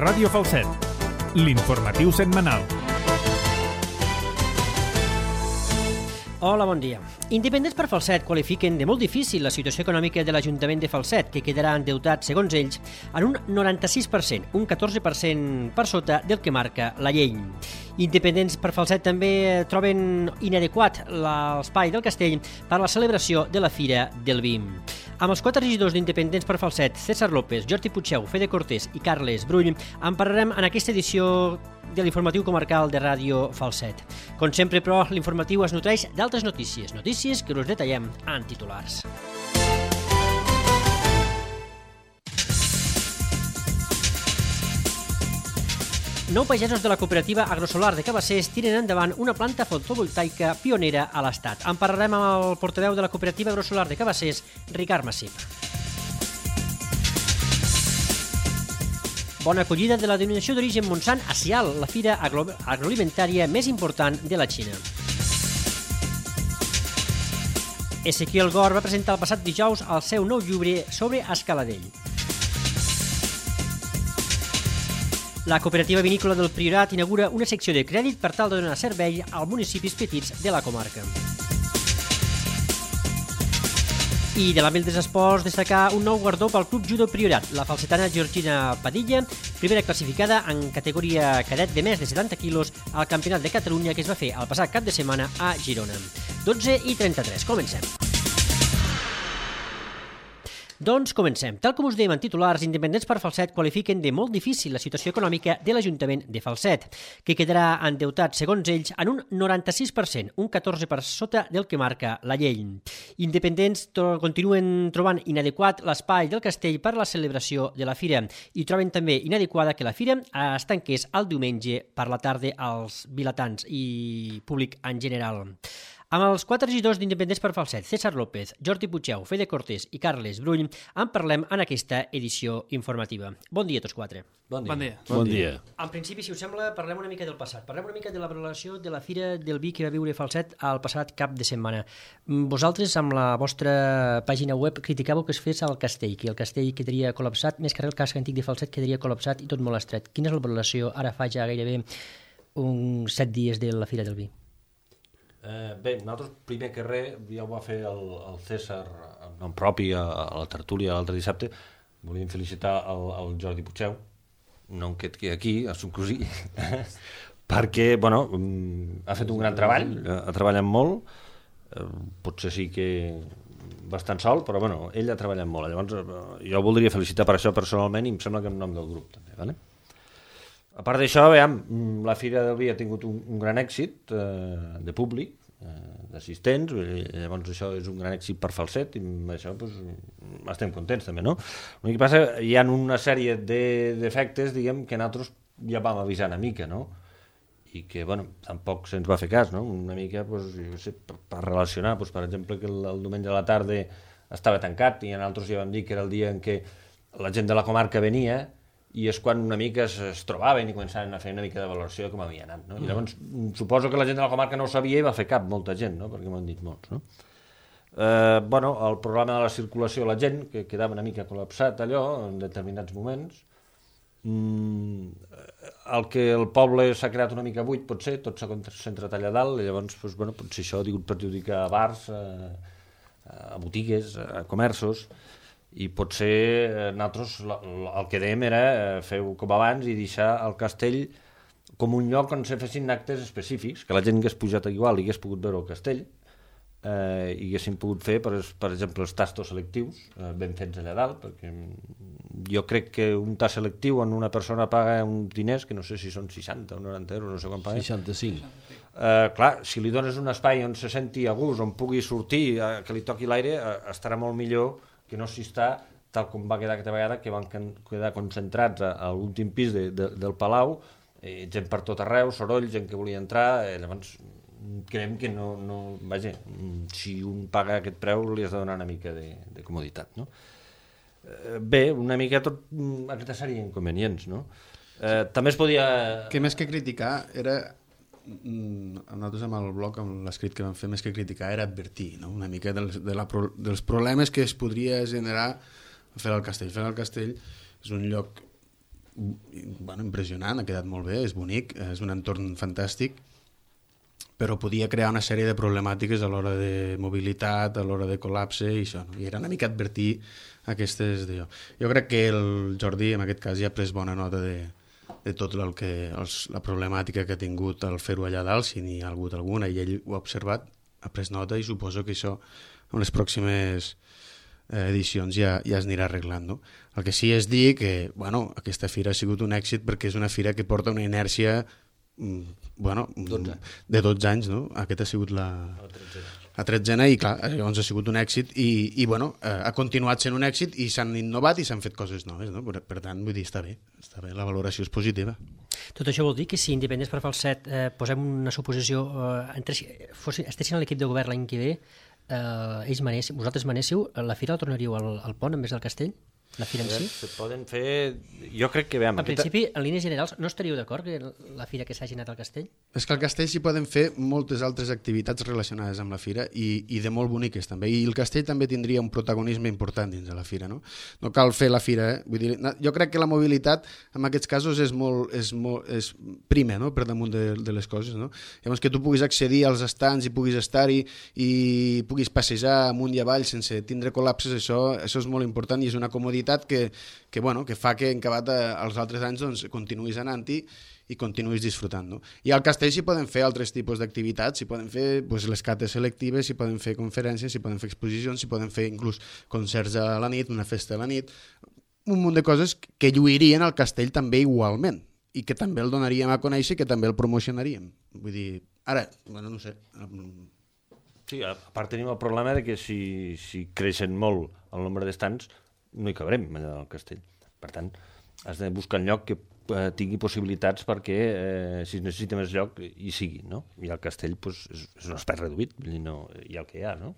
Ràdio Falset, l'informatiu setmanal. Hola, bon dia. Independents per Falset qualifiquen de molt difícil la situació econòmica de l'Ajuntament de Falset, que quedarà endeutat, segons ells, en un 96%, un 14% per sota del que marca la llei. Independents per Falset també troben inadequat l'espai del castell per a la celebració de la Fira del Vi. Amb els 4 regidors d'Independents per Falset, César López, Jordi Puigdeu, Fede Cortés i Carles Brull, en parlarem en aquesta edició de l'informatiu comarcal de Ràdio Falset. Com sempre, però, l'informatiu es nutreix d'altres notícies que us detallem en titulars. Nou pagesos de la cooperativa agrosolar de Cabassers tiren endavant una planta fotovoltaica pionera a l'Estat. En parlarem amb el portaveu de la cooperativa agrosolar de Cabassers, Ricard Massip. Bona acollida de la denominació d'origen Montsant a Sial, la fira agroalimentària més important de la Xina. Ezequiel Gor va presentar el passat dijous el seu nou llibre sobre Escaladell. La cooperativa vinícola del Priorat inaugura una secció de crèdit per tal de donar servei als municipis petits de la comarca. I de l'àmbit dels esports, destacar un nou guardó pel Club Judo Priorat. La falsetana Georgina Padilla, primera classificada en categoria cadet de més de 70 quilos al Campionat de Catalunya que es va fer el passat cap de setmana a Girona. 12:33, comencem. Doncs comencem. Tal com us dèiem en titulars, Independents per Falset qualifiquen de molt difícil la situació econòmica de l'Ajuntament de Falset, que quedarà endeutat, segons ells, en un 96%, un 14% per sota del que marca la llei. Independents continuen trobant inadequat l'espai del castell per a la celebració de la fira i troben també inadequada que la fira es tanqués el diumenge per la tarda als vilatans i públic en general. Amb els 4 regidors d'Independents per Falset, César López, Jordi Puigdeu, Fede Cortés i Carles Brull, en parlem en aquesta edició informativa. Bon dia a tots 4. Bon dia. En principi, si us sembla, parlem una mica del passat. Parlem una mica de la valoració de la Fira del Vi que va viure Falset el passat cap de setmana. Vosaltres, amb la vostra pàgina web, criticàveu que es fes al castell, que el castell quedaria col·lapsat, més que el casc antic de Falset quedaria col·lapsat i tot molt estret. Quina és la valoració ara fa ja gairebé uns 7 dies de la Fira del Vi? Bé, nosaltres, primer que res, ja ho va fer el César en nom propi a la tertúlia l'altre dissabte. Volíem felicitar el Jordi Puigdeu, no en quedi aquí, a son cosí, perquè, bueno, ha fet un gran treball, ha treballat molt, potser sí que bastant sol, però, bueno, ell ha treballat molt. Llavors, jo el voldria felicitar per això personalment i em sembla que en nom del grup, també, ¿vale? A part d'això, la Fira del Vi ha tingut un gran èxit de públic, d'assistents, llavors això és un gran èxit per Falset i amb això estem contents també, no? El que passa, hi ha una sèrie de defectes, diguem, que nosaltres ja vam avisar una mica, no? I que, bueno, tampoc se'ns va fer cas, no? Una mica, jo sé, per relacionar, per exemple, que el diumenge a la tarda estava tancat i nosaltres ja vam dir que era el dia en què la gent de la comarca venia i és quan una mica es trobaven i començaven a fer una mica de valoració com havia anat, no? I llavors suposo que la gent de la comarca no ho sabia i va fer cap, molta gent, no? Perquè m'ho han dit molts, no? Bueno, el problema de la circulació, la gent, que quedava una mica col·lapsat allò en determinats moments, el que el poble s'ha creat una mica buit, potser, tot s'ha concentrat allà dalt, i llavors, bueno, potser això ha tingut perjudicar a bars, a botigues, a comerços, i potser nosaltres el que dèiem era fer com abans i deixar el castell com un lloc on se fessin actes específics, que la gent hagués pujat igual i hagués pogut veure el castell i haguessin pogut fer, per exemple, els tastos selectius ben fets allà dalt, perquè jo crec que un tast selectiu on una persona paga uns diners, que no sé si són 60 o 90 euros, no sé quan paga. 65. Clar, si li dones un espai on se senti a gust, on pugui sortir, que li toqui l'aire, estarà molt millor que no s'hi està, tal com va quedar aquesta vegada, que van quedar concentrats a l'últim pis del Palau, gent per tot arreu, soroll, gent que volia entrar, llavors creiem que no, vaja, si un paga aquest preu li has de donar una mica de comoditat, no? Bé, una mica tot aquesta sèrie d'inconvenients, no? També es podia... Que més que criticar era... Nosaltres amb el blog, amb l'escrit que vam fer, més que criticar era advertir, no? Una mica dels problemes que es podria generar fer el castell. Fer el castell és un lloc impressionant, ha quedat molt bé, és bonic, és un entorn fantàstic, però podia crear una sèrie de problemàtiques a l'hora de mobilitat, a l'hora de col·lapse i això, no? I era una mica advertir aquestes... Jo crec que el Jordi en aquest cas ja ha pres bona nota de tot la problemàtica que ha tingut al fer-ho allà dalt, si n'hi ha hagut alguna, i ell ho ha observat, ha pres nota i suposo que això en les pròximes edicions ja es anirà arreglant, no? El que sí és dir que aquesta fira ha sigut un èxit perquè és una fira que porta una inèrcia de 12 anys, no? Aquest ha sigut la 13a i clar, llavors ha sigut un èxit i ha continuat sent un èxit i s'han innovat i s'han fet coses noves, no? Per tant, vull dir, està bé, la valoració és positiva. Tot això vol dir que si Independents per Falset posem una suposició, estessin a l'equip de govern l'any que ve, vosaltres manéssiu, la fira la tornaríeu al pont en vez del castell? La fira en si? Se poden fer... Jo crec que... En principi, en línies generals, no estaríeu d'acord que la fira que s'hagi anat al castell? És que al castell s'hi poden fer moltes altres activitats relacionades amb la fira i de molt boniques també. I el castell també tindria un protagonisme important dins de la fira, no? No cal fer la fira, Vull dir, jo crec que la mobilitat en aquests casos és prima, no? Per damunt de les coses, no? Llavors que tu puguis accedir als estants i puguis estar-hi i puguis passejar amunt i avall sense tindre col·lapses, això és molt important i és una comoditat que fa que en acabat els altres anys doncs, continuïs anant-hi i continuïs disfrutant. No? I al castell s'hi poden fer altres tipus d'activitats, s'hi poden fer les cates selectives, s'hi poden fer conferències, s'hi poden fer exposicions, s'hi poden fer inclús concerts a la nit, una festa a la nit, un munt de coses que lluirien al castell també igualment i que també el donaríem a conèixer i que també el promocionaríem. Vull dir, ara, no sé... Sí, a part tenim el problema de que si creixen molt el nombre d'estants no hi cabrem allà al castell. Per tant, has de buscar un lloc que tingui possibilitats perquè si es necessita més lloc hi sigui, no? I el castell és un espai reduït, hi ha el que hi ha, no?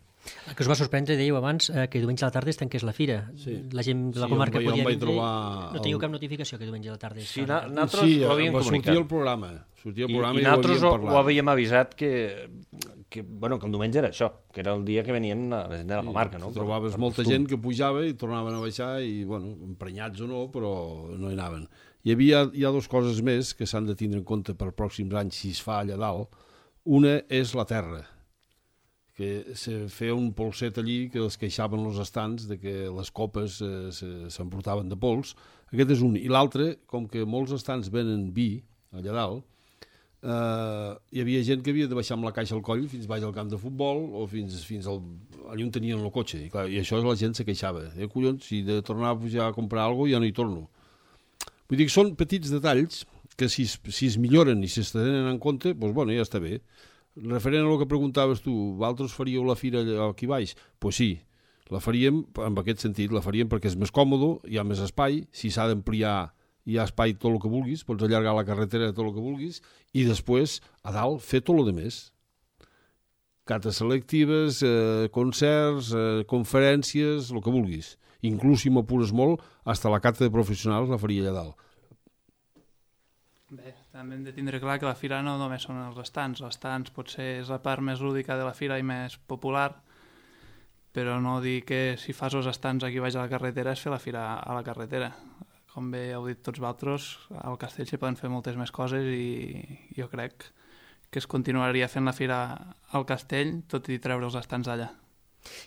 El que us va sorprendre, dèieu abans, que diumenge a la tarda es tanqués la fira. Sí. La gent de la comarca podia vindre. No teniu cap notificació que diumenge a la tarda? Sí, nosaltres ho havíem comunicat. Sortia el programa. I nosaltres ho havíem avisat que el diumenge era això, que era el dia que venien la gent de la comarca. No? Trobaves molta gent que pujava i tornaven a baixar i, emprenyats o no, però no hi anaven. Hi ha dues coses més que s'han de tindre en compte per pròxims anys si es fa allà dalt. Una és la terra, que se feia un polset allí que els queixaven els estants de que les copes s'emportaven de pols. Aquest és un. I l'altre, com que molts estants venen vi allà dalt, hi havia gent que havia de baixar amb la caixa al coll fins baix al camp de futbol o fins allà on tenien el cotxe. I això la gent se queixava. Collons, si de tornar a pujar a comprar alguna cosa ja no hi torno. Vull dir que són petits detalls que si es milloren i si es tenen en compte, doncs ja està bé. Referent a el que preguntaves tu, vosaltres faríeu la fira aquí baix? Doncs sí, la faríem en aquest sentit, la faríem perquè és més còmode, hi ha més espai, si s'ha d'ampliar hi ha espai tot el que vulguis, pots allargar la carretera tot el que vulguis i després a dalt fer tot el que més. Cates selectives, concerts, conferències, el que vulguis. Inclús si m'apures molt, fins la cata de professionals la faria allà dalt. Bé, també hem de tindre clar que la fira no només són els estants. Els estants potser és la part més lúdica de la fira i més popular, però no dir que si fas els estants aquí baix a la carretera és fer la fira a la carretera. Com bé heu dit tots vosaltres, al castell s'hi poden fer moltes més coses i jo crec que es continuaria fent la fira al castell, tot i treure els estants d'allà.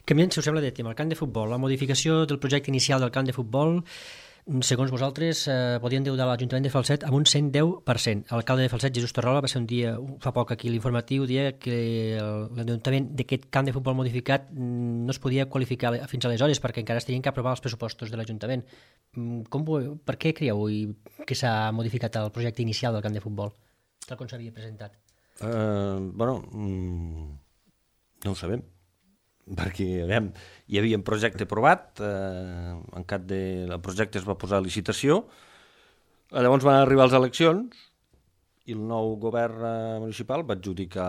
Canviant, si us sembla, de tema, el camp de futbol. La modificació del projecte inicial del camp de futbol, segons vosaltres, podien endeudar l'Ajuntament de Falset amb un 110%. L'alcalde de Falset, Jesús Torrola, va ser un dia, fa poc aquí l'informatiu, dia que l'endeutament d'aquest camp de futbol modificat no es podia qualificar fins aleshores perquè encara es tenien que aprovar els pressupostos de l'Ajuntament. Per què creieu que s'ha modificat el projecte inicial del camp de futbol, tal com s'havia presentat? No ho sabem, perquè hi havia un projecte aprovat, el projecte es va posar a licitació, llavors van arribar les eleccions i el nou govern municipal va adjudicar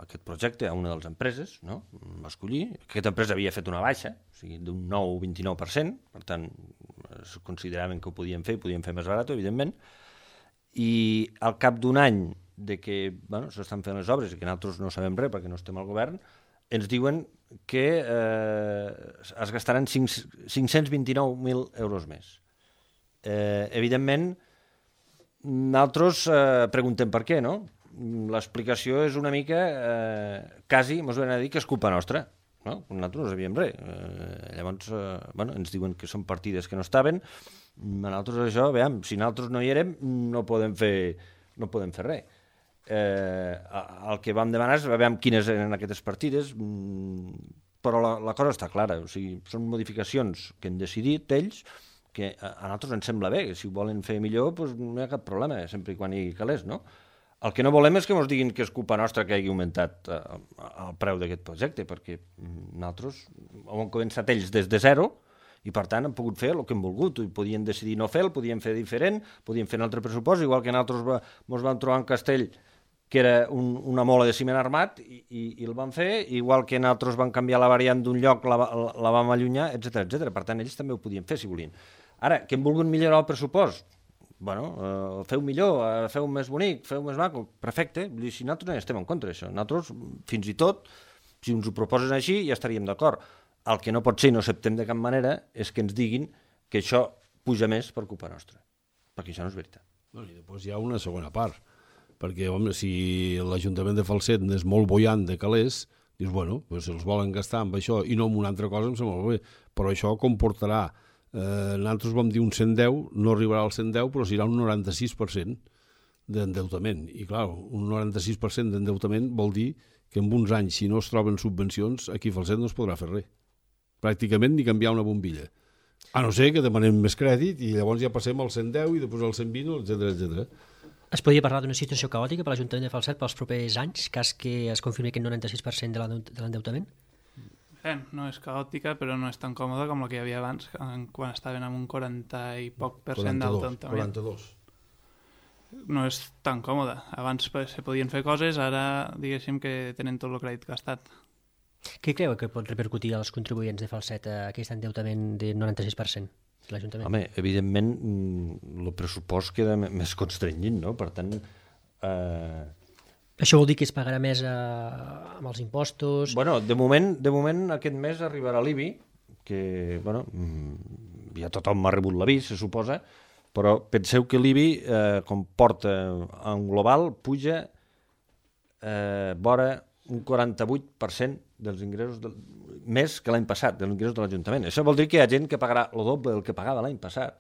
aquest projecte a una de les empreses, no? Va escollir. Aquesta empresa havia fet una baixa, o sigui, d'un 9-29%, per tant, consideraven que ho podien fer més barat, evidentment, i al cap d'un any de que s'estan fent les obres i que nosaltres no sabem res perquè no estem al govern, ens diuen que es gastaran 529.000 euros més. Evidentment, Nosaltres preguntem per què, no? L'explicació és una mica, quasi, mos ven a dir que és culpa nostra. No? Nosaltres no sabíem res. Llavors, ens diuen que són partides que no estaven. Nosaltres això, veiem, si nosaltres no hi érem, no podem fer res. El que vam demanar és veure quines eren aquestes partides, però la cosa està clara. O sigui, són modificacions que han decidit ells, que a nosaltres ens sembla bé, que si ho volen fer millor doncs no hi ha cap problema, sempre i quan hi calés, no? El que no volem és que ens diguin que és culpa nostra que hagi augmentat el preu d'aquest projecte, perquè nosaltres ho hem començat ells des de zero i per tant han pogut fer el que hem volgut. I podien decidir no fer-lo, podien fer diferent, podien fer un altre pressupost, igual que nosaltres ens vam trobar en Castell, que era una mola de ciment armat, i el van fer, igual que nosaltres vam canviar la variant d'un lloc, la vam allunyar, etc. Per tant, ells també ho podien fer si volien. Ara, que hem volgut millorar el pressupost, feu millor, feu més bonic, feu més maco, perfecte. Si nosaltres no estem en contra d'això, nosaltres fins i tot, si ens ho proposen així, ja estaríem d'acord. El que no pot ser i no acceptem de cap manera és que ens diguin que això puja més per culpa nostra, perquè això no és veritat. I després hi ha una segona part, perquè home, si l'Ajuntament de Falset és molt boiant de calés, dius, si els volen gastar amb això i no amb una altra cosa, em sembla molt bé, però això comportarà nosaltres vam dir un 110, no arribarà al 110, però serà un 96% d'endeutament. I clar, un 96% d'endeutament vol dir que en uns anys, si no es troben subvencions, aquí a Falset no es podrà fer res. Pràcticament ni canviar una bombilla. A no ser que demanem més crèdit i llavors ja passem al 110 i després al 120, etc. Es podria parlar d'una situació caòtica per l'Ajuntament de Falset pels propers anys, cas que es confirmi aquest 96% de l'endeutament? No és caòtica, però no és tan còmoda com la que hi havia abans, quan estaven amb un 40 i poc % d'endeutament. 42. No és tan còmoda. Abans se podien fer coses, ara diguéssim que tenen tot el crèdit gastat. Què creu que pot repercutir als contribuents de Falset aquest endeutament de 96% de l'Ajuntament? Home, evidentment, el pressupost queda més constrenyit, no? Per tant... Això vol dir que es pagarà més amb els impostos? De moment aquest mes arribarà l'IBI, que ja tothom m'ha rebut l'avís, se suposa, però penseu que l'IBI comporta en global, puja vora un 48% dels ingressos més que l'any passat, dels ingressos de l'Ajuntament. Això vol dir que hi ha gent que pagarà el doble del que pagava l'any passat.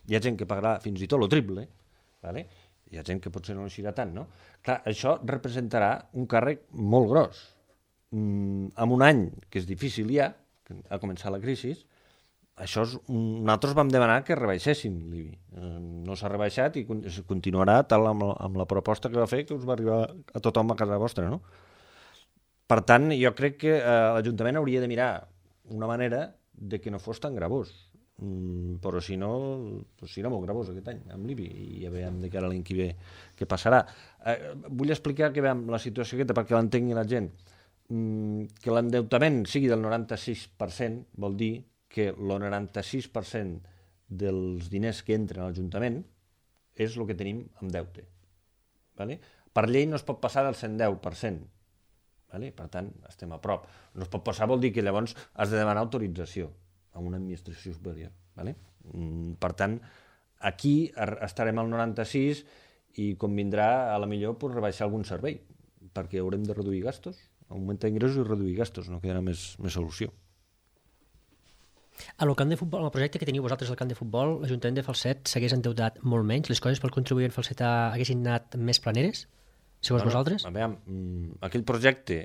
Hi ha gent que pagarà fins i tot el triple, ¿vale? Hi ha gent que potser no eixirà tant, no? Clar, això representarà un càrrec molt gros. En un any que és difícil ja, a començar la crisi, nosaltres vam demanar que rebaixessin l'IBI. No s'ha rebaixat i continuarà tal amb la proposta que va fer, que us va arribar a tothom a casa vostra, no? Per tant, jo crec que l'Ajuntament hauria de mirar una manera de que no fos tan gravós. Però si no, serà molt gravós aquest any amb l'IBI i ja veiem de cara a l'any que ve què passarà. Vull explicar que veiem la situació aquesta perquè l'entengui la gent. Que l'endeutament sigui del 96% vol dir que el 96% dels diners que entren a l'Ajuntament és el que tenim en deute. Per llei no es pot passar del 110%. Per tant, estem a prop. No es pot passar vol dir que llavors has de demanar autorització a una administració superior. Per tant, aquí estarem al 96 i convindrà a la millor rebaixar algun servei, perquè haurem de reduir gastos, augmentar ingressos i reduir gastos, no quedarà més solució. A el camp de futbol, el projecte que teniu vosaltres al camp de futbol, l'Ajuntament de Falset s'hagués endeutat molt menys? Les coses pel contribuent falsetà haguessin anat més planeres? Segons vosaltres? Aquell projecte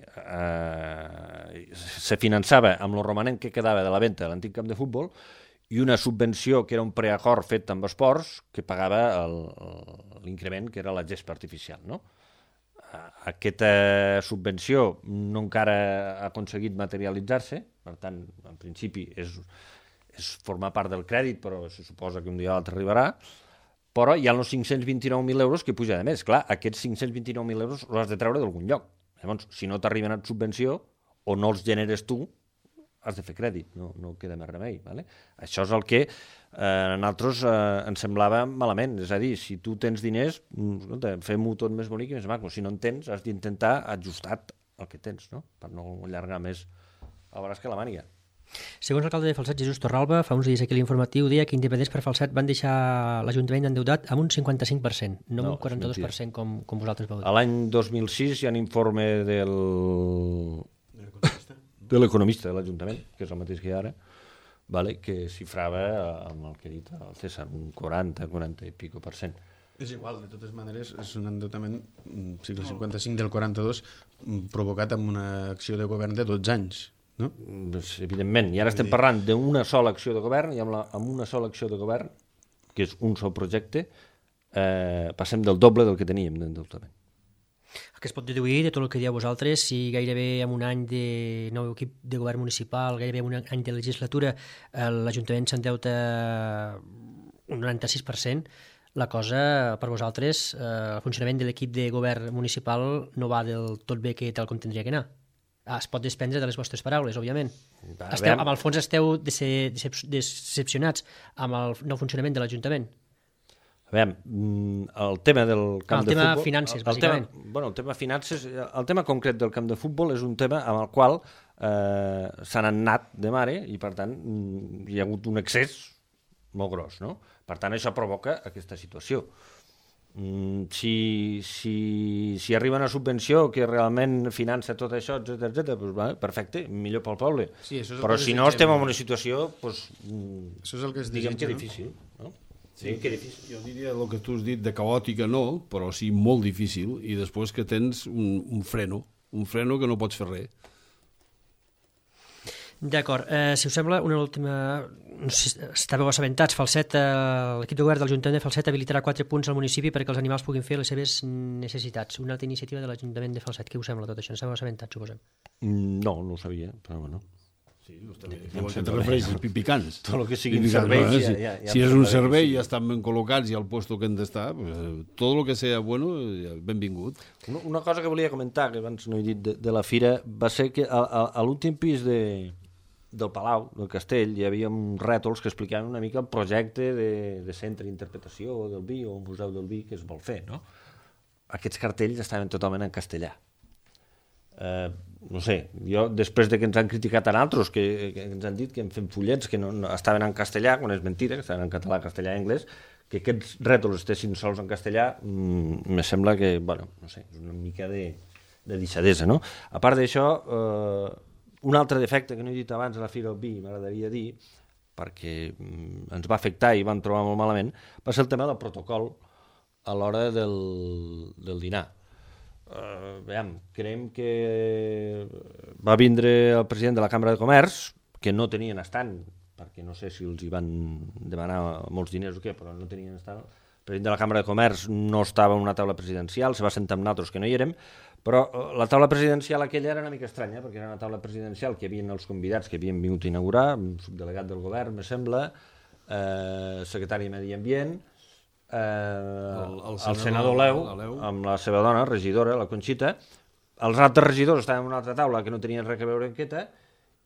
se finançava amb el romanent que quedava de la venda de l'antic camp de futbol i una subvenció que era un preacord fet amb esports que pagava l'increment que era la gespa artificial. Aquesta subvenció no encara ha aconseguit materialitzar-se, per tant, en principi és formar part del crèdit, però se suposa que un dia o l'altre arribarà, però hi ha els 529.000 euros que puja de més. Clar, aquests 529.000 euros els has de treure d'algun lloc. Llavors, si no t'arriben a subvenció o no els generes tu, has de fer crèdit, no queda més remei. Això és el que a nosaltres ens semblava malament. És a dir, si tu tens diners, fem-ho tot més bonic i més maco. Si no en tens, has d'intentar ajustar el que tens, per no allargar més el braç que la màniga. Segons l'alcalde de Falset, Jesús Torralba, fa uns dies aquí a l'informatiu deia que Independents per Falset van deixar l'Ajuntament endeutat amb un 55%, no amb un 42% com vosaltres vau dir. A l'any 2006 hi ha un informe de l'economista de l'Ajuntament, que és el mateix que hi ha ara, vale, que xifrava amb el que ha dit el César, un 40 i pico %. És igual, de totes maneres, és un endeutament segle 55 del 42 provocat amb una acció de govern de 12 anys. No? Pues, evidentment, i ara estem parlant d'una sola acció de govern i amb una sola acció de govern, que és un sol projecte, passem del doble del que teníem d'endeutament. El que es pot deduir de tot el que dieu vosaltres, si gairebé en un any de nou equip de govern municipal, gairebé en un any de legislatura, l'Ajuntament s'endeuta un 96%, la cosa per vosaltres, el funcionament de l'equip de govern municipal no va del tot bé que tal com tindria que anar. Es pot desprendre de les vostres paraules, òbviament. Amb el fons esteu decepcionats amb el nou funcionament de l'Ajuntament. A veure, el tema del camp de futbol... El tema finances, bàsicament. El tema finances, el tema concret del camp de futbol és un tema amb el qual s'han anat de mare i, per tant, hi ha hagut un excés molt gros, no? Per tant, això provoca aquesta situació. Si arriba una subvenció que realment finança tot això, etc., doncs, perfecte, millor pel poble. Sí, però si no estem en una situació, doncs, això és el que es diguem que difícil. No? Sí, que difícil. Jo diria el que tu has dit de caòtica no, però sí molt difícil, i després que tens un freno que no pots fer res. D'acord, si us sembla, una última... No sé si estàveu assabentats, Falset, l'equip de govern de l'Ajuntament de Falset habilitarà 4 punts al municipi perquè els animals puguin fer les seves necessitats. Una altra iniciativa de l'Ajuntament de Falset. Què us sembla tot això? No estàveu assabentats, suposem? No ho sabia, però bueno. Sí, que te refereixes, pipicans. Tot el que siguin serveis... Si és un servei i estan ben col·locats i al lloc que han d'estar, tot el que sigui bueno, benvingut. Una cosa que volia comentar, que abans no he dit de la fira, va ser que a l'últim pis del Palau, del Castell, hi havia uns rètols que explicaven una mica el projecte de centre d'interpretació del vi o un museu del vi que es vol fer, no? Aquests cartells estaven totalment en castellà. No sé, jo després de que ens han criticat a nosaltres, que ens han dit que hem fet fullets que no estaven en castellà, quan és mentira, que estaven en català, castellà i anglès, que aquests rètols estessin sols en castellà, me sembla que, bueno, no sé, és una mica de deixadesa, no? A part d'això, un altre defecte que no he dit abans a la Fira del Vi, m'agradaria dir, perquè ens va afectar i vam trobar molt malament, va ser el tema del protocol a l'hora del dinar. Creiem que va vindre el president de la Cambra de Comerç, que no tenien estant, perquè no sé si els hi van demanar molts diners o què, però no tenien estant. El president de la Cambra de Comerç no estava en una taula presidencial, se va sentar amb nosaltres que no hi érem, però la taula presidencial aquella era una mica estranya, perquè era una taula presidencial que hi havia els convidats que havien vingut a inaugurar, un subdelegat del govern, me sembla, secretari de Medi Ambient, el senador Leu, amb la seva dona, regidora, la Conxita. Els altres regidors estaven en una altra taula que no tenien res a veure amb aquesta,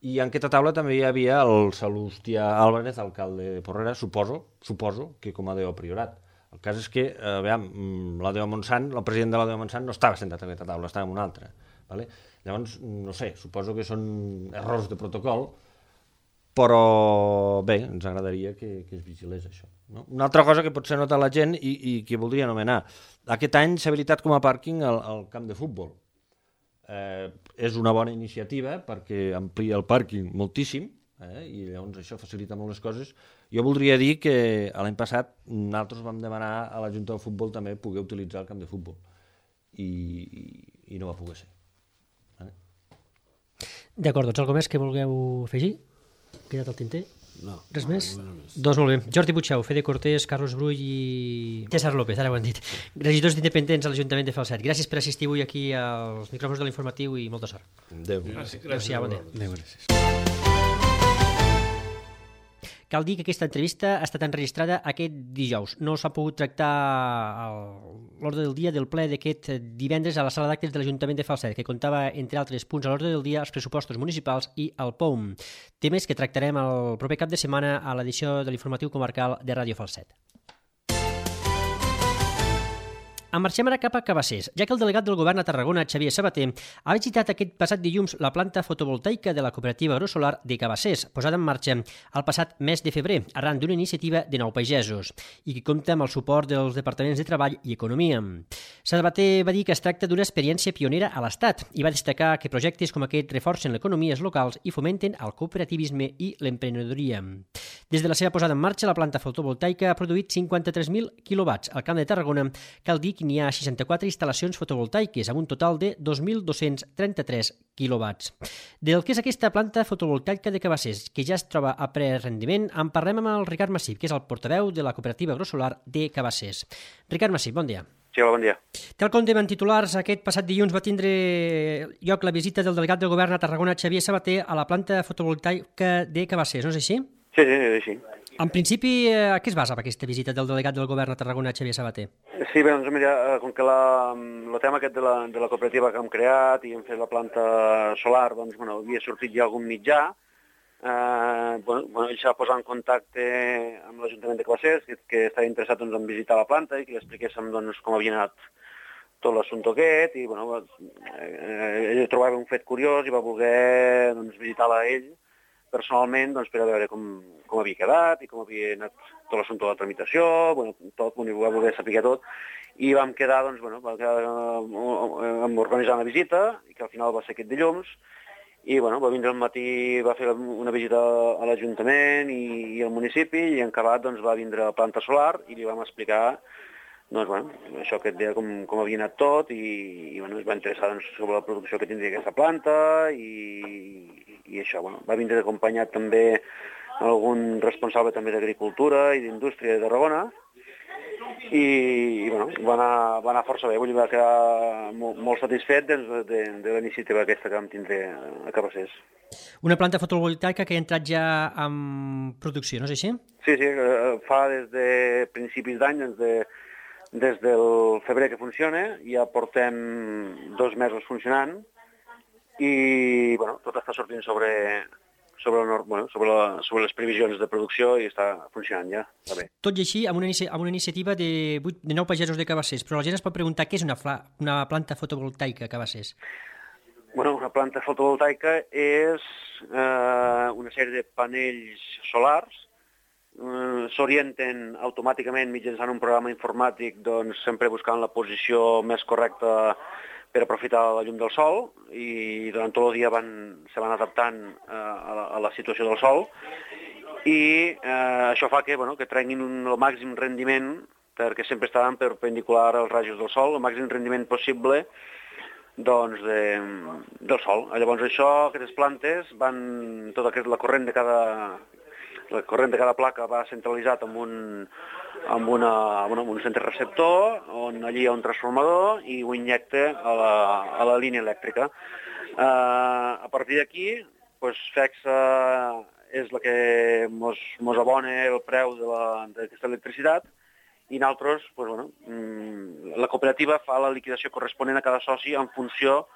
i en aquesta taula també hi havia el Salustià Álvarez, alcalde de Porrera, suposo que com a Déu Priorat. El cas és que, l'Adeu Montsant, el president de l'Adeu Montsant no estava sentat a aquesta taula, estava en una altra. Vale? Llavors, no sé, suposo que són errors de protocol, però bé, ens agradaria que es vigilés això. No? Una altra cosa que potser nota la gent i que voldria anomenar. Aquest any s'ha habilitat com a pàrquing el camp de futbol. És una bona iniciativa perquè amplia el pàrquing moltíssim, i llavors això facilita molt les coses. Jo voldria dir que l'any passat nosaltres vam demanar a la Junta de Futbol també poder utilitzar el camp de futbol i no va poder ser. D'acord, doncs alguna més que vulgueu afegir? Quedat el tinter? No. Res més? Doncs molt bé. Jordi Puigdeu, Fede Cortés, Carlos Brull i César López, ara ho han dit. Regidors d'Independents a l'Ajuntament de Falset. Gràcies per assistir avui aquí als micròfons de l'informatiu i molta sort. Adéu. Gràcies. Bon dia. Adéu, gràcies. Cal dir que aquesta entrevista ha estat enregistrada aquest dijous. No s'ha pogut tractar l'ordre del dia del ple d'aquest divendres a la sala d'actes de l'Ajuntament de Falset, que comptava, entre altres punts a l'ordre del dia, els pressupostos municipals i el POUM. Temes que tractarem el proper cap de setmana a l'edició de l'informatiu comarcal de Ràdio Falset. Marxem ara cap a Cabassers, ja que el delegat del govern a Tarragona, Xavier Sabater, ha visitat aquest passat dilluns la planta fotovoltaica de la cooperativa agrosolar de Cabassers, posada en marxa el passat mes de febrer, arran d'una iniciativa de 9 pagesos, i que compta amb el suport dels departaments de Treball i Economia. Sabater va dir que es tracta d'una experiència pionera a l'Estat i va destacar que projectes com aquest reforcen les economies locals i fomenten el cooperativisme i l'emprenedoria. Des de la seva posada en marxa, la planta fotovoltaica ha produït 53.000 quilowatts al Camp de Tarragona. Cal dir que n'hi ha 64 instal·lacions fotovoltaiques, amb un total de 2.233 quilowatts. Del que és aquesta planta fotovoltaica de Cabassers, que ja es troba a ple rendiment, en parlem amb el Ricard Massip, que és el portaveu de la cooperativa agrosolar de Cabassers. Ricard Massip, bon dia. Sí, hola, bon dia. Tal com dèiem en titulars, aquest passat dilluns va tindre lloc la visita del delegat del govern a Tarragona, Xavier Sabater, a la planta fotovoltaica de Cabassers, no és així? Sí, és així. En principi, a què es basa aquesta visita del delegat del govern a Tarragona, Xavier Sabater? Sí, bé, doncs mira, com que el tema aquest de la cooperativa que hem creat i hem fet la planta solar, doncs, bueno, havia sortit ja algun mitjà, ell s'ha posat en contacte amb l'Ajuntament de Cabassers, que estava interessat doncs, en visitar la planta i que li expliquéssim doncs, com havia anat tot l'assumpte aquest, i bueno, ell trobava un fet curiós i va voler doncs, visitar-la ell personalment doncs, per a veure com havia quedat i com havia anat tot l'assumpte de la tramitació, tot, va voler saber tot, i vam quedar, doncs, vam organitzar una visita, i que al final va ser aquest dilluns, i va vindre al matí, va fer una visita a l'Ajuntament i al municipi, i en acabat doncs, va vindre a la planta solar i li vam explicar això que et deia com havia anat tot i es va interessar sobre la producció que tindria aquesta planta i això. Va vindre acompanyat també algun responsable també d'Agricultura i d'Indústria de Tarragona i va anar força bé, va quedar molt satisfet de la iniciativa aquesta que vam tindre a Cabassers. Una planta fotovoltaica que ha entrat ja en producció, no és així? Sí, fa des de principis d'any, des del febrer que funciona, ja portem 2 mesos funcionant i tot està sortint sobre les previsions de producció i està funcionant ja, està bé. Tot i així, amb una iniciativa de 9 pagesos de Cabassers, però la gent es pot preguntar què és una planta fotovoltaica a Cabassers. Una planta fotovoltaica és una sèrie de panells solars, s'orienten automàticament mitjançant un programa informàtic, doncs sempre buscant la posició més correcta per aprofitar la llum del sol i durant tot el dia se van adaptant a la situació del sol i això fa que treguin el màxim rendiment perquè sempre estaven perpendicular als rajos del sol, el màxim rendiment possible del sol. Llavors aquestes plantes la corrent de cada placa va centralitzat amb un centre receptor, on allí hi ha un transformador i ho injecta a la línia elèctrica. A partir d'aquí, FECSA és la que mos abona el preu d'aquesta electricitat i nosaltres, la cooperativa fa la liquidació corresponent a cada soci en funció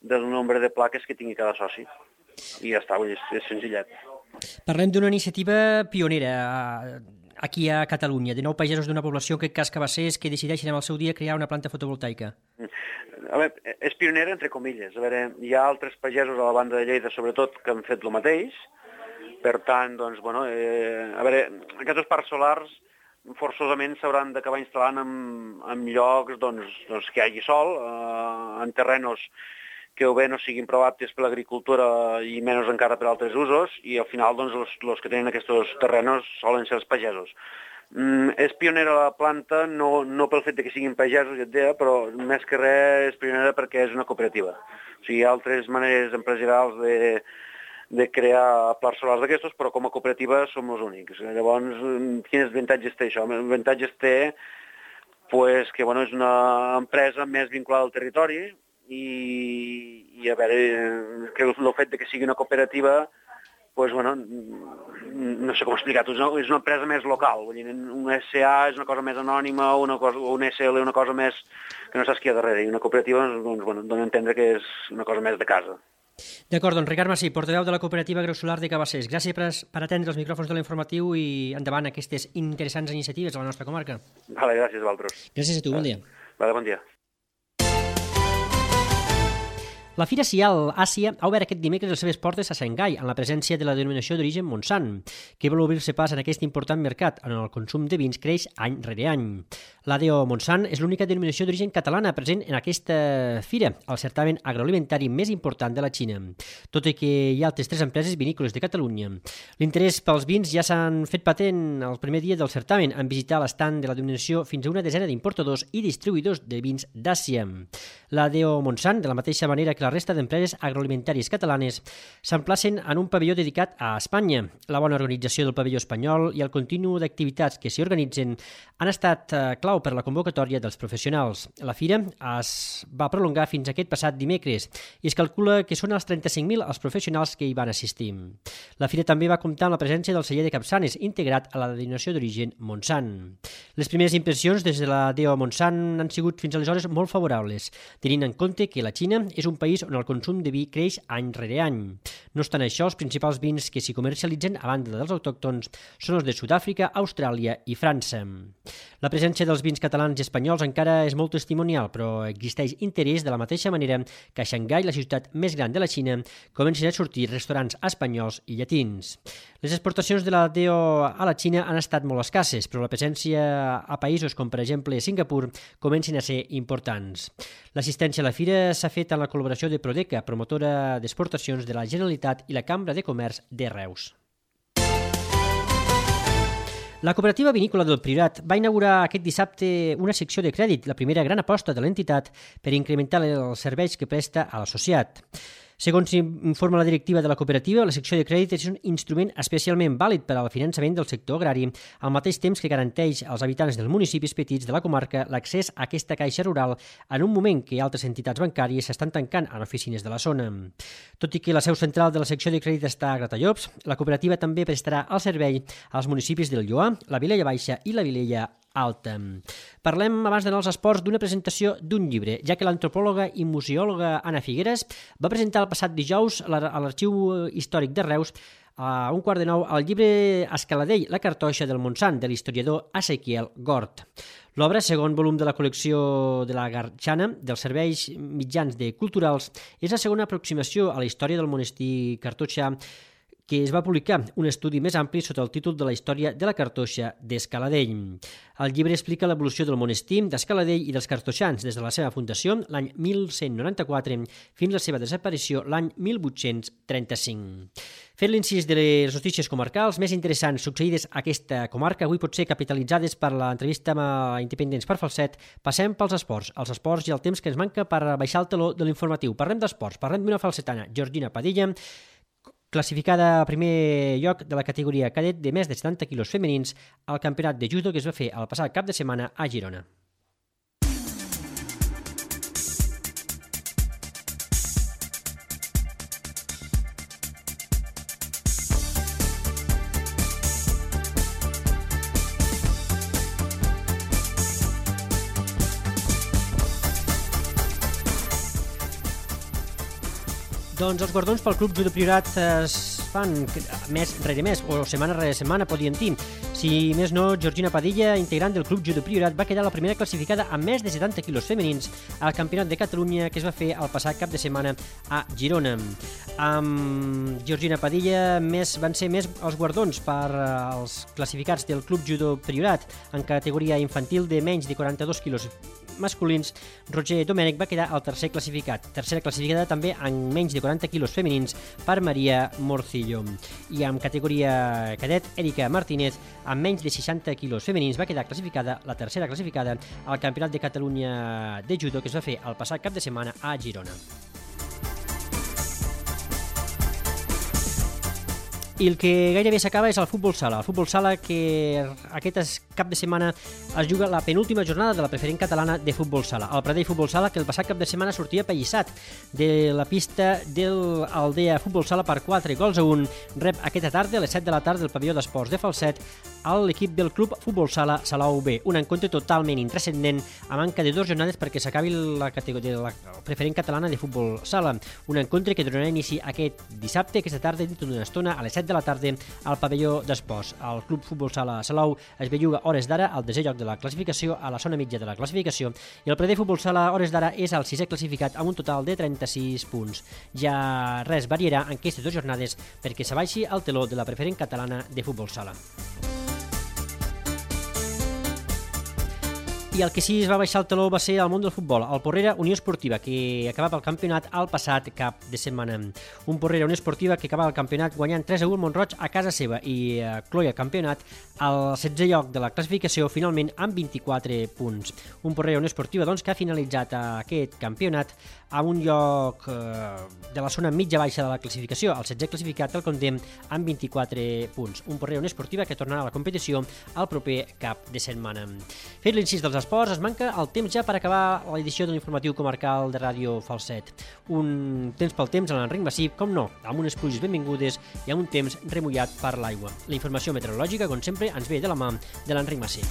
del nombre de plaques que tingui cada soci. I ja està, és senzillet. Parlem d'una iniciativa pionera aquí a Catalunya, de 9 pagesos d'una població, en aquest cas Cabassers, que decideixen en el seu dia crear una planta fotovoltaica. A veure, és pionera entre comilles. A veure, hi ha altres pagesos a la banda de Lleida, sobretot, que han fet el mateix. Per tant, aquests parcs solars forçosament s'hauran d'acabar instal·lant en llocs que hi hagi sol, en terrenos que o bé no siguin prou aptes per l'agricultura i menys encara per altres usos, i al final els que tenen aquests terrenos solen ser els pagesos. És pionera la planta, no pel fet que siguin pagesos, ja et deia, però més que res és pionera perquè és una cooperativa. O sigui, hi ha altres maneres empresarials de crear plats solars d'aquestos, però com a cooperativa som els únics. Llavors, quins avantatges té això? L'avantatge té que és una empresa més vinculada al territori, i a veure, que el fet que sigui una cooperativa, no sé com explicar-ho, és una empresa més local, una SA és una cosa més anònima, o una SL una cosa més que no saps qui hi ha darrere, i una cooperativa dona a entendre que és una cosa més de casa. D'acord, doncs Ricard Massip, portaveu de la cooperativa agrosolar de Cabassers. Gràcies per atendre els micròfons de l'informatiu i endavant aquestes interessants iniciatives a la nostra comarca. Vale, gràcies a vosaltres. Gràcies a tu, bon dia. Vale, bon dia. La Fira Sial Àsia ha obert aquest dimecres les seves portes a Xangai, en la presència de la denominació d'origen Montsant, que vol obrir-se pas en aquest important mercat on el consum de vins creix any rere any. L'ADO Montsant és l'única denominació d'origen catalana present en aquesta fira, el certamen agroalimentari més important de la Xina, tot i que hi ha altres 3 empreses vinícoles de Catalunya. L'interès pels vins ja s'han fet patent el primer dia del certamen en visitar l'estand de la denominació fins a una desena d'importadors i distribuïdors de vins d'Àsia. L'ADO Montsant, de la mateixa manera que la resta d'empreses agroalimentàries catalanes, s'emplacen en un pavelló dedicat a Espanya. La bona organització del pavelló espanyol i el continu d'activitats que s'hi organitzen han estat clau per la convocatòria dels professionals. La fira es va prolongar fins aquest passat dimecres i es calcula que són els 35.000 els professionals que hi van assistir. La fira també va comptar amb la presència del celler de Capçanes, integrat a la denominació d'origen Montsant. Les primeres impressions des de la DO Montsant han sigut fins aleshores molt favorables, tenint en compte que la Xina és un país on el consum de vi creix any rere any. No obstant això, els principals vins que s'hi comercialitzen, a banda dels autòctons, són els de Sud-àfrica, Austràlia i França. La presència dels vins catalans i espanyols encara és molt testimonial, però existeix interès de la mateixa manera que a Xangai, la ciutat més gran de la Xina, comencen a sortir restaurants espanyols i llatins. Les exportacions de la DO a la Xina han estat molt escasses, però la presència a països com, per exemple, Singapur, comencen a ser importants. L'assistència a la fira s'ha fet en la col·laboració de Prodeca, promotora d'exportacions de la Generalitat, i la Cambra de Comerç de Reus. La cooperativa vinícola del Priorat va inaugurar aquest dissabte una secció de crèdit, la primera gran aposta de l'entitat per incrementar els serveis que presta a l'associat. Segons informa la directiva de la cooperativa, la secció de crèdit és un instrument especialment vàlid per al finançament del sector agrari, al mateix temps que garanteix als habitants dels municipis petits de la comarca l'accés a aquesta caixa rural en un moment que altres entitats bancàries s'estan tancant en oficines de la zona. Tot i que la seu central de la secció de crèdit està a Gratallops, la cooperativa també prestarà el servei als municipis del Lloar, la Vilella Baixa i la Vilella Alta. Parlem, abans d'anar als esports, d'una presentació d'un llibre, ja que l'antropòloga i museòloga Anna Figueres va presentar el passat dijous a l'Arxiu Històric de Reus a 8:15 el llibre Escaladell, la cartoixa del Montsant, de l'historiador Ezequiel Gort. L'obra, segon volum de la col·lecció de la Garxana, dels serveis mitjans de culturals, és la segona aproximació a la història del monestir cartoixà, que es va publicar un estudi més ampli sota el títol de la història de la cartoixa d'Escaladell. El llibre explica l'evolució del monestir d'Escaladell i dels cartoixans des de la seva fundació l'any 1194 fins a la seva desaparició l'any 1835. Fent l'incís de les notícies comarcals més interessants succeïdes a aquesta comarca, avui potser capitalitzades per l'entrevista amb Independents per Falset, passem pels esports. Els esports i el temps que ens manca per baixar el teló de l'informatiu. Parlem d'esports, parlem d'una falsetana, Georgina Padilla, classificada a primer lloc de la categoria cadet de més de 70 quilos femenins al campionat de judo que es va fer el passat cap de setmana a Girona. Doncs els guardons pel Club Judo Priorat es fan mes rere mes, o setmana rere setmana, podríem dir. Si més no, Georgina Padilla, integrant del Club Judo Priorat, va quedar la primera classificada amb més de 70 quilos femenins al Campionat de Catalunya que es va fer el passat cap de setmana a Girona. Amb Georgina Padilla van ser més els guardons per als classificats del Club Judo Priorat en categoria infantil de menys de 42 quilos masculins. Roger Domènech va quedar el tercer classificat. Tercera classificada també en menys de 40 quilos femenins per Maria Morcillo. I en categoria cadet, Erika Martínez, amb menys de 60 quilos femenins, va quedar classificada, la tercera classificada, al Campionat de Catalunya de Judo que es va fer el passat cap de setmana a Girona. I el que gairebé s'acaba és el futbol sala. El futbol sala que aquest cap de setmana es juga la penúltima jornada de la preferent catalana de futbol sala. El Pradell Futbol Sala, que el passat cap de setmana sortia apallissat de la pista de l'Aldea Futbol Sala per 4-1, rep aquesta tarda a les 7 de la tarda del pavelló d'esports de Falset a l'equip del Club Futbol Sala Salou B. Un encontre totalment intrascendent a manca de 2 jornades perquè s'acabi la categoria de la preferent catalana de futbol sala. Un encontre que donarà inici aquest dissabte, aquesta tarda, dintre d'una estona, a les 7 de de la tarda al pavelló d'esports. El Club Futbol Sala Salou es belluga hores d'ara al 10è lloc de la classificació, a la zona mitja de la classificació, i el Pradell Futbol Sala hores d'ara és el 6è classificat amb un total de 36 punts. Ja res variarà en aquestes 2 jornades perquè s'abaixi el teló de la preferent catalana de futbol sala. I el que sí es va baixar el teló va ser el món del futbol, el Porrera Unió Esportiva, que acabava el campionat el passat cap de setmana. Un Porrera Unió Esportiva que acabava el campionat guanyant 3-1 Mont-roig a casa seva i cloia el campionat al 16è lloc de la classificació, finalment amb 24 punts. Un Porrera Unió Esportiva doncs, que ha finalitzat aquest campionat a un lloc de la zona mitja-baixa de la classificació. El 16è classificat el contem amb 24 punts. Un Porrera Unió Esportiva que tornarà a la competició el proper cap de setmana. Fet l'incís dels esports, es manca el temps ja per acabar l'edició de l'informatiu comarcal de Ràdio Falset. Un temps pel temps a l'Enric Massip, com no, amb unes pluges benvingudes i amb un temps remullat per l'aigua. La informació meteorològica, com sempre, ens ve de la mà de l'Enric Massip.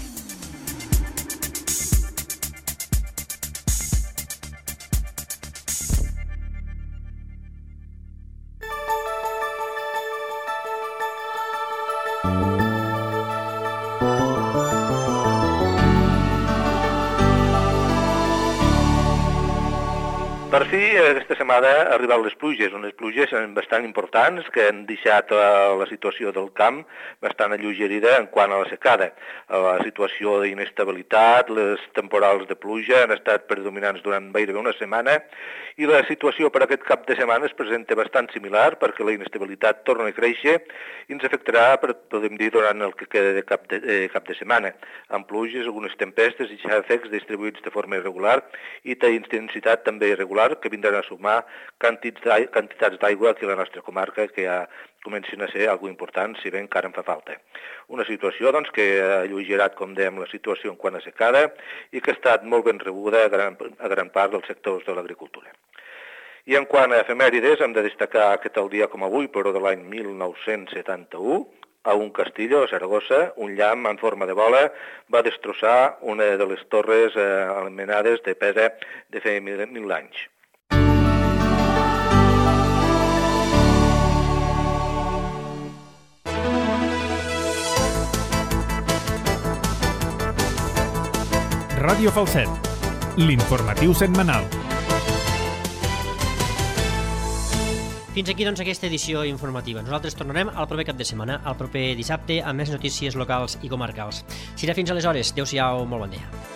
Per fi, aquesta setmana han arribat les pluges, unes pluges bastant importants que han deixat la situació del camp bastant alleugerida en quant a la secada. La situació d'inestabilitat, les temporals de pluja han estat predominants durant gairebé una setmana i la situació per aquest cap de setmana es presenta bastant similar perquè la inestabilitat torna a créixer i ens afectarà, podem dir, durant el que queda de cap de setmana, amb pluges, algunes tempestes i xàfecs distribuïts de forma irregular i d'intensitat també irregular que vindran a sumar quantitats d'aigua aquí a la nostra comarca que ja comencin a ser algo important, si bé encara en fa falta. Una situació doncs, que ha alleugerat, com dèiem, la situació en quant a secada i que ha estat molt ben rebuda a gran part dels sectors de l'agricultura. I en quant a efemèrides, hem de destacar que tal dia com avui, però de l'any 1971, a un castillo, a Saragossa, un llamp en forma de bola va destrossar una de les torres anomenades de Pesa de fa 1000 anys. Ràdio Falset, l'informatiu setmanal. Fins aquí, doncs, aquesta edició informativa. Nosaltres tornarem al proper cap de setmana, al proper dissabte, amb més notícies locals i comarcals. Serà fins aleshores. Adéu-siau, molt bon dia.